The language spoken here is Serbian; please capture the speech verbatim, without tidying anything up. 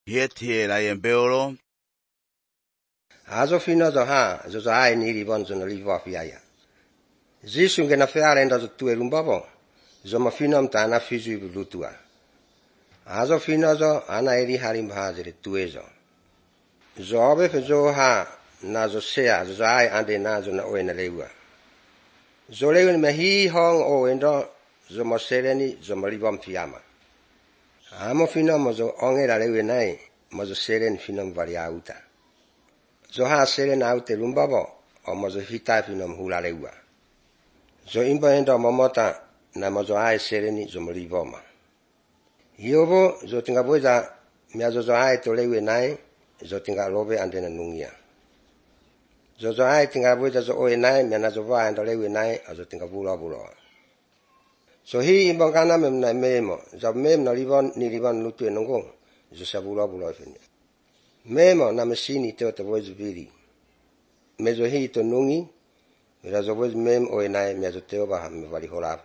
Yeti la yembeolo. Azo fino zo ha zo ai ni ribon zo no livo fiaya. Zisu ngena feare ndo zo tue rumbabo. Zo ma fino mta na fizu bulutua. Azo fino zo ana eri harim hazire tuezo. Zo obe fe zo ha na zo sea zo ai ande na zo na oena lewa. Zo lewa me hi hong o endo zo mo sereni zo mo libom fiama. Amo fino mo zo ongera lewe nai mo zo seren fino varia uta. Zo ha seren aute lumbabo o mo zo hita fino hula lewa. Zo imba endo momota na mo zo ai sereni zo mo liboma. Hiobo zo tinga boza mia zo zo ai to lewe nai zo tinga lobe andena nungia. Zo zo ai tinga boza zo oe nai mia na zo va ando lewe nai zo tinga bula bula. So hi imba kana mem na memo zo mem na libon ni libon lutu enongo zo sa bula bula fini. Memo na mesini te to boza bili. Mezo hi to nungi mia zo boza mem oe nai mia zo te oba me vali hola.